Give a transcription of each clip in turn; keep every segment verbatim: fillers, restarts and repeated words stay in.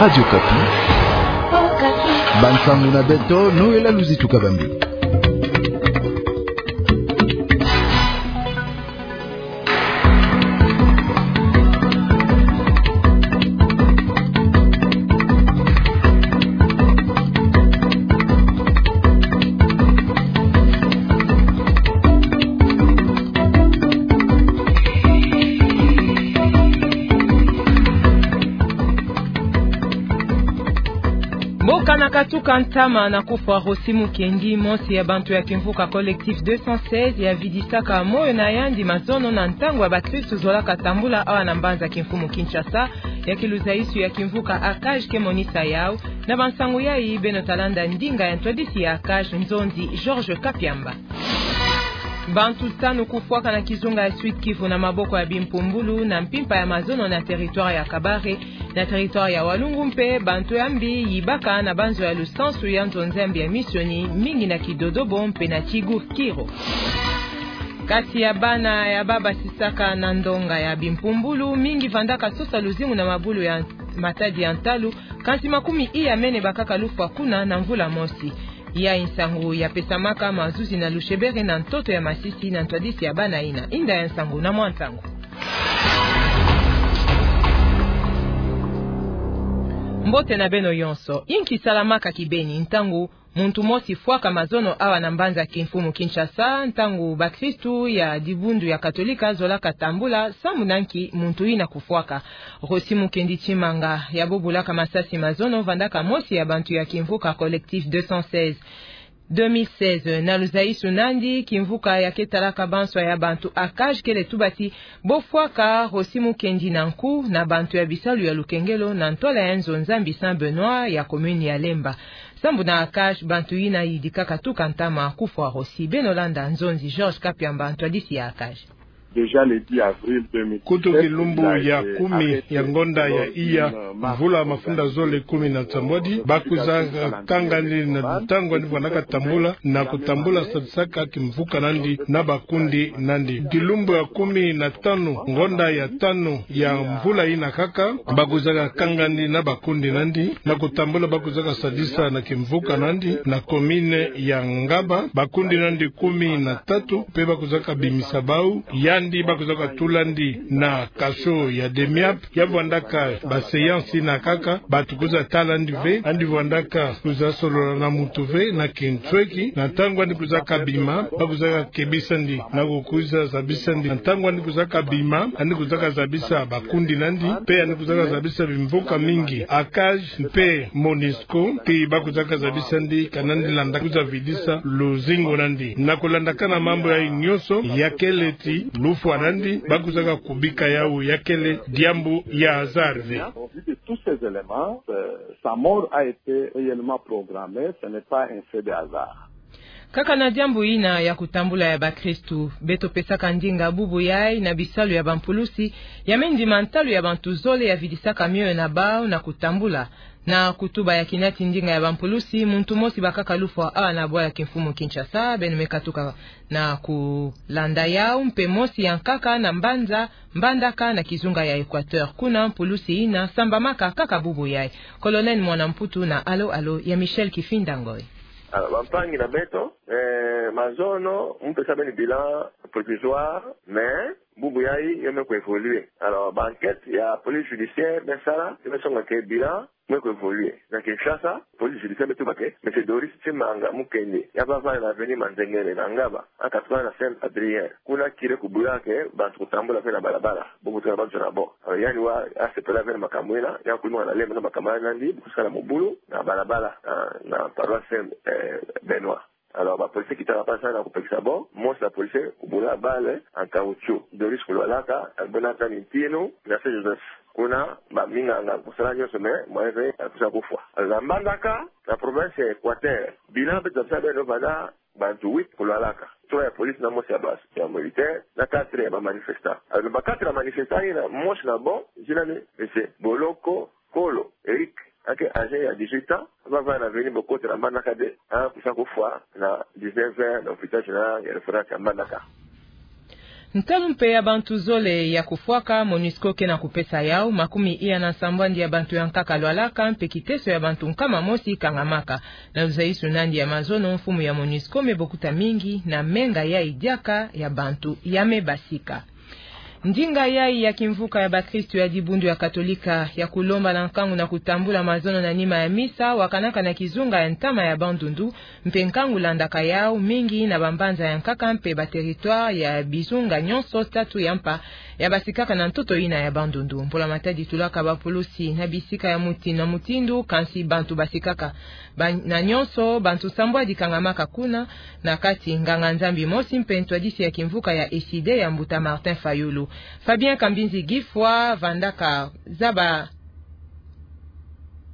Radio Okapi. Bansangu na beto, Noëlla Luzitu Kabambi. Mboka na katuka ntama na kufwa Rossy Mukendi, mosi ya bantu ya kimvuka Collectif deux cent seize, ya vidisaka moyo na yandi mazono na ntangu ya bakristu zolaka tambula awa na mbanza kimfumu Kinshasa, ya kiluzaisu ya kimvuka ACAJ ke monisa yau. Na bansangu yai beno ta landa ndinga ya ntwadisi ya ACAJ, nzonzi Georges Kapiamba. Bantu tanu kufwaka na kizunga ya Sud-Kivu na maboko ya bimpumbulu na mpimpa ya mazono na territoire ya Kabare, na territoire ya Walungu mpe bantu ya mbi yibaka na banzo ya lusansu ya nzonzi ya mbi ya misioni, mingi na Kidodobo mpe na Tigu Kiro. Kati ya bana ya ba basisaka na ndonga ya bimpumbulu, mingi vandaka sosa luzingu na mabulu ya matadi ya ntalu, kansi makumi iya mene bakaka lufwa kuna na mvula mosi. Yai nsangu ya pesamaka mazuzi na Lushebere na ntoto ya Masisi na ntwadisi ya bana ina. Inda ya nsangu na mwa nsangu. Mbote na beno yonso. Inki salamaka kibeni ntangu muntu mosi fwaka mazono awa na mbanza kimfumu Kinshasa, ntangu bakristu ya dibundu ya Katolika zolaka tambula, samu na nki muntu ina kufwaka? Rossy Mukendi Tshimanga, ya bobulaka masasi mazono, vandaka mosi ya bantu ya kimvuka Collectif deux cent seize. Deux mille seize, na luzaisu nandi, kimvuka ya ke talaka banswa ya bantu ACAJ kele tuba ti bo fwaka Rossy Mukendi na nku na bantu ya bisalu ya lukengelo na ntwala ya nzo Nzambi Saint Benoît ya commune ya Lemba. Sambu na ACAJ, bantu ina yidikaka tuka ntama kufwa Rossy. Beno landa nzonzi Georges Kapiamba, ntwadisi ya ACAJ. Déjà le dix avril deux mille dix-sept, kutu kilumbu ya kumi ya ngonda ya iya, mvula mafunda zole kumi na nsambwadi, bakwiza kanga ndi na ntangu andi vwanaka tambula, na kutambula sadisaka kimvuka nandi na bakundi nandi. Kilumbu ya kumi na tanu, ngonda ya tanu ya mvula ina kaka, bakwiza kanga ndi na bakundi nandi, na kutambula bakwiza sadisa na kimvuka nandi, na commune ya Ngaba, bakundi nandi kumi na tatu, mpe bakwiza bimisa bau, yandi bakwiza tula ndi na cachot ya demi-app, ya vwandaka ba séance ina kaka, batu kwiza tala ndi ve, andi vwandaka kwiza solola na muntu ve, na kinsweki, na ntangu andi kwiza bima, bakwiza kebisa ndi, na kukwiza zabisa ndi, na ntangu andi kwiza bima, andi kwiza zabisa bakundi nandi, mpe andi kwiza zabisa bimvuka mingi, ACAJ, mpe MONUSCO, ti bakwiza zabisa ndi, kana andi landa kwiza vidisa luzingu nandi. Na kulandakana mambu yai nyonso, ya kele ti lufwa nandi, bakwiza kubika yau, ya kele diambu ya hasard ve. Au vu de tous ces éléments, euh, sa mort a été réellement programmée, ce n'est pas un fait de hasard. Kaka na diambu ina ya kutambula ya bakristu, beto pesaka ndinga bubu yai na bisalu ya bampulusi, ya mendima ntalu ya bantu zole ya vidisaka mioyo na bau na kutambula. Na kutuba ya kinati ndinga ya bampulusi, muntu mosi bakaka lufwa awa na bwala kimfumu Kinshasa, beno me katuka na kulanda yau, mpe mosi ya nkaka na mbanza Mbandaka na kizunga ya Equateur. Kuna mpulusi ina sambamaka kaka bubu yai. Colonel Mwana Mputu na Allô Allô ya Michel Kifinda Ngoy. Alors, bampangi na beto, eh, mazono, mu pesa beno bilan provisoire, mais bubu yai yo me ku évoluer. Alors, ba enquête ya police judiciaire me sala, yo me songa que bilan me ku évoluer. Na Kinshasa, police judiciaire me tuba que Monsieur Doris Tshimanga Mukendi, ya bavanda na avenue Manzengele na Ngaba, en quatre-vingts na Saint-Adrien. Kuna curé kubula que bantu kutambula ve na balabala, bo kutuka na bantu na bo. Alors, yandi wa asepela ve na makambu ina, ya kulima na lema na makambu ina nandi, bu kusala mobulu na balabala, na, na paroisse Saint, eh, Benoît. Alors, ba policier kita kapasa na kupekisa bo, mosi na policier kubula balle en caoutchouc. Doris kulwalaka, abunaka ni ntinu na Saint Joseph. Kuna, ba minganga kusala nyonso, mais moyen ve, akusa kufwa. Alors, na Mbandaka, na province ya Equateur, bilan beto pesa beno vanda, bantu huit kulwalaka. Trois ya police na mosi ya base, ya militaire, na quatre ya ba manifestants. Alors, na ba quatre ya manifestants ina, mosi na bo, zina ni, Monsieur Boloko Kolo Eric, ake âgé ya dix-huit ans, bavanda na avenue Bokoto na Mbandaka deux, akusa kufwa na dix-neuf heures na hôpital général ya référence ya Mbandaka. Ntalu mpe ya bantu zole ya kufwaka, MONUSCO ke na kupesa yau. Makumi iya na nsambwadi ya bantu ya nkaka lwalaka, mpe kiteso ya bantu nkama mosi kangamaka. Na luzaisu nandi ya mazono, mfumu ya MONUSCO me bokuta mingi na menga yai diaka ya bantu ya me basika. Ndinga yai ya kimvuka ya bakristu ya dibundu ya Katolika ya kulomba na nkangu na kutambula mazono na nima ya misa wakanaka na kizunga ya ntama ya Bandundu, mpe nkangu landaka yau mingi na bambanza ya nkaka mpe bateritware ya bizunga nyonso tatu ya mpa ya basikaka na ntoto ina ya Bandundu. Mbula-matadi tulaka bapulusi na bisika ya muti-, na mutindu, kansi bantu basikaka ba-, na nyonso, bantu nsambwadi kangamaka kuna, na kati nganga-Nzambi mosi mpe ntwadisi ya kimvuka ya ECIDE ya mbuta Martin Fayulu. Fabien Kambinzi Gifwa vandaka zaba,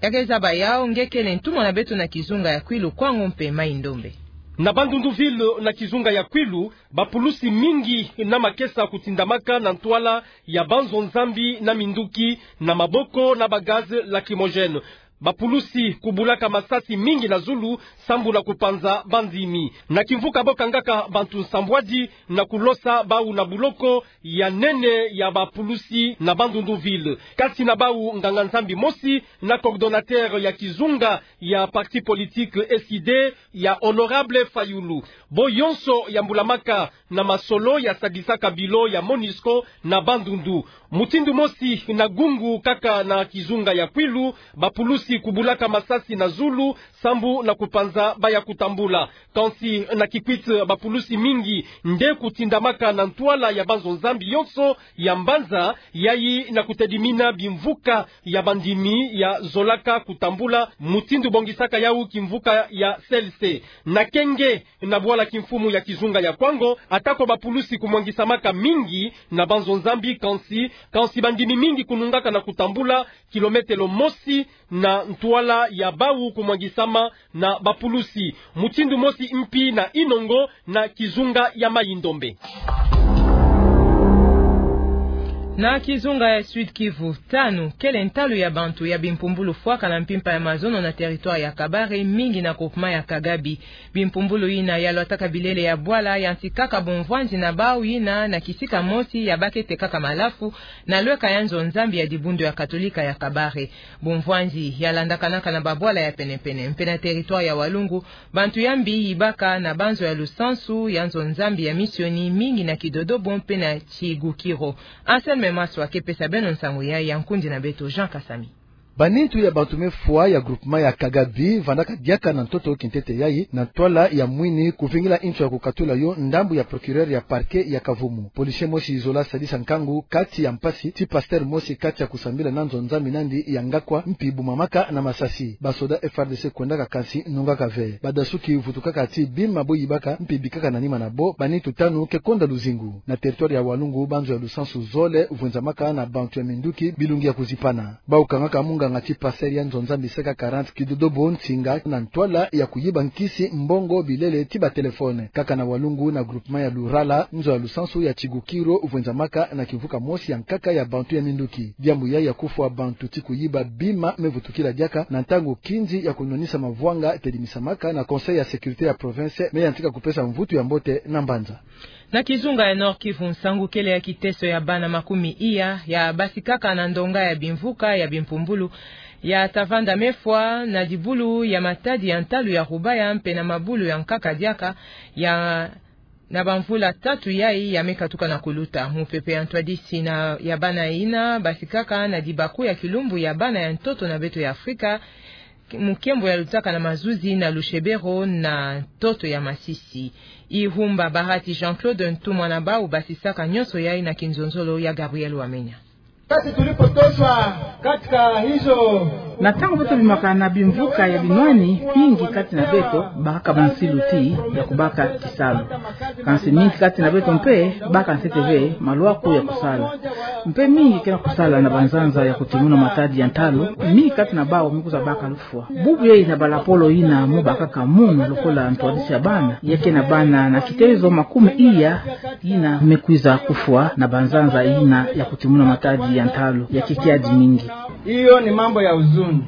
ya ke zaba yau, nge kele ntumwa na beto na kizunga ya Kwilu, Kwango mpe Mai-Ndombe. Na Bandundu ville na kizunga ya Kwilu, bapulusi mingi na makesa kutindamaka na ntwala ya banzo-Nzambi na minduki na maboko na ba gaz lacrymogène. Bapulusi kubulaka masasi mingi na zulu sambu na kupanza bandimi. Na kimvuka bo kangaka bantu nsambwadi na kulosa bau na buloko ya nene ya bapulusi na Bandundu ville. Kati na bau nganga-Nzambi mosi na coordonnateur ya kizunga ya parti politique ECIDE ya honorable Fayulu. Bo yonso ya mbulamaka na masolo ya sadisaka bilo ya MONUSCO na Bandundu. Mutindu mosi na Gungu, kaka na kizunga ya Kwilu, bapulusi kubulaka masasi na zulu sambu na kupanza baya kutambula. Kansi na Kikwit bapulusi mingi nde kutindamaka na ntwala ya banzo-Nzambi yonso ya mbanza yai na kutedimina bimvuka ya bandimi ya zolaka kutambula, mutindu bongisaka yau kimvuka ya C L C. Na Kenge, na bwala kimfumu ya kizunga ya Kwango, atako bapulusi kumwangisamaka mingi na banzo-Nzambi, kansi, kansi bandimi mingi kunungaka na kutambula kilometelo mosi na ntwala ya bau kumwangisama na bapulusi. Mutindu mosi mpi na Inongo na kizunga ya Mai-Ndombe. Na kizunga ya Sud-Kivu, tanu kele ntalu ya bantu ya bimpumbulu fwaka na mpimpa ya mazono na territoire ya Kabare, mingi na groupement ya Kagabi. Bimpumbulu ina ya lwataka bilele ya bwala yantikaka bumvwanzi na bau ina na kisika mosi ya bake tekaka malafu na lweka ya nzo-Nzambi ya dibundu ya Katolika ya Kabare. Bumvwanzi ya landakanaka na babwala ya pene-pene. Mpe na territoire ya Walungu, bantu ya mbi yibaka na banzo ya lusansu ya nzo-Nzambi ya misioni, mingi na Kidodobo mpe na Chigukiro. Anselme Maswa ke pesa beno nsangu yai, ya nkundi na beto Jean Kasami. Banintu ya bantu me fwa ya groupement ya Kagabi vandaka diaka na ntoto kintete yai na ntwala ya mwini kuvingila nto ya kukatula yo ndambu ya procureur ya parquet ya Kavumu. Policier mosi zola sadisa nkangu kati ya mpasi ti pasteur mosi kati ya kusambila na nzo-Nzambi nandi ya ngakwa mpi bumamaka na masasi. Basoda F R D C kwendaka kansi nungaka ve. Badasuki vutukaka ti bima bo yibaka mpi bikaka na nima na bo, banintu tanu ke konda luzingu. Na territoire ya Walungu, banzo ya lusansu zole vwenzamaka na bantu ya minduki bilungi ya kuzipana. Bau kangaka munganga ti pasteur ya nzo-Nzambi C K quarante Kidodobo ntinga na ntwala ya kuyiba nkisi, mbongo, bilele ti batelefone. Kaka na Walungu, na groupement ya Lurala, nzo ya lusansu ya Chigukiro vwenzamaka na kimvuka mosi ya nkaka ya bantu ya minduki. Diambu yai ya kufwa bantu ti kuyiba bima me vutukila diaka na ntangu kinzi ya kunwanisa mavwanga tedimisamaka na Conseil ya sécurité ya province me yantika kupesa mvutu ya mbote na mbanza. Na kizunga ya Nord-Kivu, nsangu kele ya kiteso ya bana makumi iya ya basikaka na ndonga ya bimvuka ya bimpumbulu ya ta vanda me fwa na dibulu ya matadi ya ntalu ya Rubaya mpe na mabulu ya nkaka diaka ya, na bamvula tatu yai ya me katuka na kuluta. Mupepe ya ntwadisi na ya bana ina basikaka na dibaku ya kilumbu ya bana ya ntoto na beto ya Afrika, mukembo ya lutaka na mazuzi na Lushebero na ntoto ya Masisi. Ihumba Bahati Jean-Claude, ntumwa na bau basisaka nyonso yai na kinzonzolo ya Gabriel Wamenya. Wakati tulipotoshwa katika hizo. Na ntangu beto bimaka na bimvuka ya binwani, mingi kati na beto bakaka bansilu ti ya kubaka kisalu. Kansi mingi kati na beto mpe baka ntete ve malwaku ya kusala. Mpe mingi ke na kusala na banzanza ya kutimuna matadi ya ntalu, mingi kati na bau me kwiza baka lufwa. Bubu yai na balapolo ina mo bakaka munu lokola ntwadisi ya bana, ya ke na bana na kitezo makumi iya ina me kwiza kufwa na banzanza ina ya kutimuna matadi ya ntalu ya ke kiadi mingi. Hiyo ni mambo ya huzuni.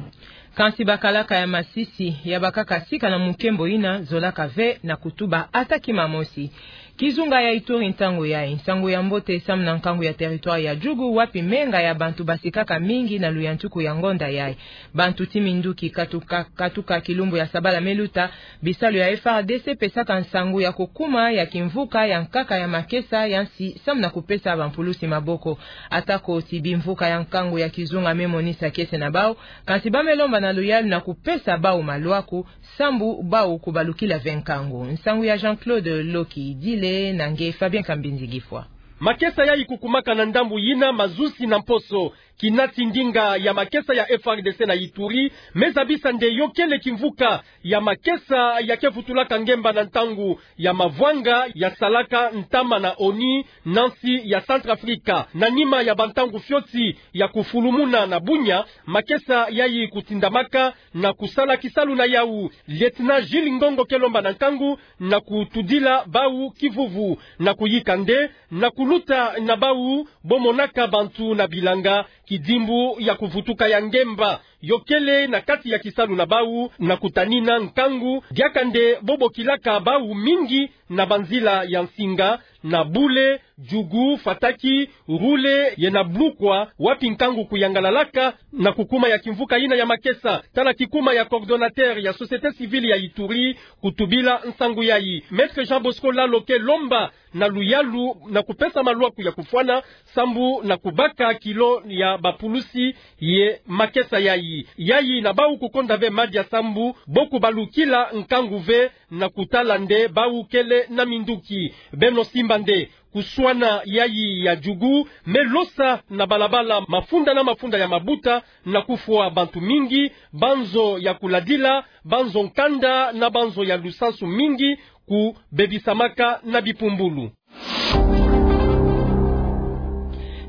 Kansi bakalaka ya Masisi ya bakaka sika na mukembo ina zolaka ve na kutuba ata kima mosi. Kizunga ya Ituri ntangu yayi. Nsangu ya mbote samu na nkangu ya territoire ya Djugu, wapi menga ya bantu basikaka mingi na luyantiku ya ngonda yayi. Bantu ti minduki katuka, katuka kilumbu ya sabala me luta, bisalu ya F R D C pesaka nsangu ya kukuma ya kimvuka ya nkaka ya makesa ya nsi samu na kupesa bampulusi maboko. Atako ti bimvuka ya nkangu ya kizunga me monisa kiese na bau, kansi ba me lomba na luyalu na kupesa bau malwaku, sambu bau kubalukila ve nkangu. Nsangu ya Jean-Claude Lokidile na nge Fabien Kambinzi Gifwa. Makesa yayi kukumaka na ndambu yina mazusi na mposo. Kina ti ndinga ya makesa ya F R D C na Ituri, me zabisa nde yo kele kimvuka ya makesa ya ke vutulaka ngemba na ntangu ya mavwanga ya salaka ntama na ONU na nsi ya Centrafrique. Na nima ya bantangu fioti ya kufulumuna na Bunia, makesa yayi kutindamaka na kusala kisalu na yau. Lieutenant Gilles Ngongo ke lomba na nkangu na kutudila bau kivuvu, na kuyika nde na kuluta na bau bo monaka bantu na bilanga, kidimbu ya kuvutuka ya ngemba. Yo kele na kati ya kisalu na bau na kutanina nkangu, diaka nde bo bokilaka bau mingi na banzila ya nsinga, na Bule, Djugu, Fataki, Roulé, ye na Bloukwa, wapi nkangu kuyangalalaka na kukuma ya kimvuka yina ya makesa. Tala kikuma ya coordonnateur ya société civile ya Ituri kutubila nsangu yayi. Maître Jean Bosco Lalo ke lomba na luyalu na kupesa malwaku ya kufwana, sambu na kubaka kilo ya bapulusi ye makesa yayi. Yayi na bau kukonda ve madia sambu bo kubalukila nkangu ve na kutala nde bau kele na minduki. Beno simba nde kuswana yayi ya Djugu me losa na balabala mafunda na mafunda ya mabuta, na kufwa bantu mingi, banzo ya kuladila, banzo nkanda na banzo ya lusansu mingi kubebisamaka na bipumbulu.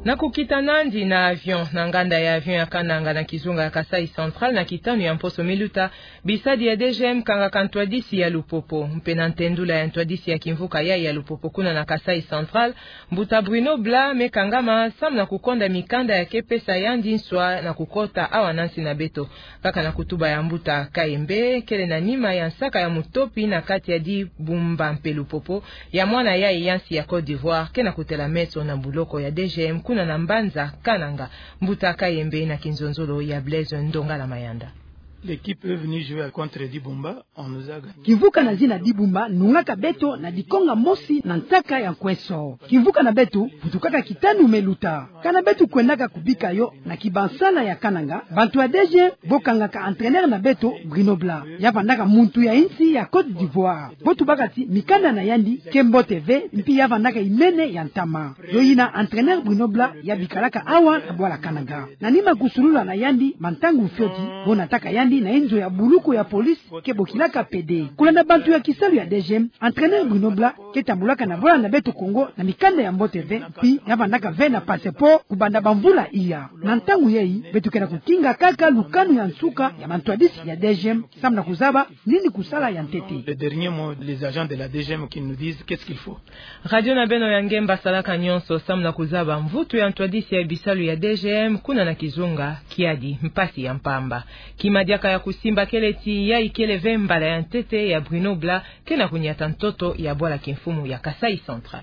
Na kukita nandi na avion na nganda ya avion ya Kananga na kizunga ya Kasaï Central na kitanu ya mposo me luta, bisadi ya D G M kangaka ntwadisi ya Lupopo. Mpe na ntendula ya ntwadisi ya kimvuka yayi ya Lupopo kuna na Kasaï Central, mbuta Bruno Bla me kangama samu na kukonda mikanda ya ke pesa yandi nswa na kukota awa na nsi na beto. Kaka na kutuba ya mbuta Kayembe, kele na nima ya nsaka ya mutopi na kati ya Dibumba mpe Lupopo, ya mwana yayi ya nsi ya Côte d'Ivoire ke na kutela meso na buloko ya D G M kuna na mbanza Kananga. Mbuta Kayembe na kinzonzolo ya Blaise Ndongala Mayanda. L'équipe est venue jouer contre Dibumba, on nous a gagné. Kimvuka na zina Dibumba nungaka beto na dikonga mosi na ntaka ya nkweso. Kimvuka na beto vutukaka kitanu me luta. Kana beto kwendaka kubika yo na kibansala ya Kananga, bantu ya D G M bo kangaka entraîneur na beto Bruno Bla. Ya vandaka muntu ya insi ya Côte d'Ivoire. Bo tubaka ti mikanda na yandi ke mbote ve, mpi ya vandaka imene ya ntama. Yo yina entraîneur Bruno Bla ya bikalaka awa na bwala Kananga. Na nima kusulula na yandi bantangu fioti, bo nataka yandi na inzo ya buloko ya police ke bokilaka P D. Kulanda bantu ya kisalu ya D G M, entraîneur Bruno Bla ke tambulaka na bwala na beto Congo na mikanda ya mbote ve, mpi ya vandaka ve na passeport kubanda bamvula iya. Na ntangu yayi, beto ke na kukinga kaka lukanu ya nsuka ya bantwadisi ya D G M, samu na kuzaba nini kusala ya ntete. Le dernier mot, les agents de la D G M qui nous disent qu'est-ce qu'il faut. Radio na beno ya Ngemba salaka nyonso samu na kuzaba mvutu ya ntwadisi ya bisalu ya D G M kuna na kizunga kiadi. Mpasi ya mpamba. Kima diaka ya kusimba kele ti yayi kele ve mbala ya ntete ya Bruno Bla ke na kunyata ntoto ya bwala kimfumu ya Kasaï Central.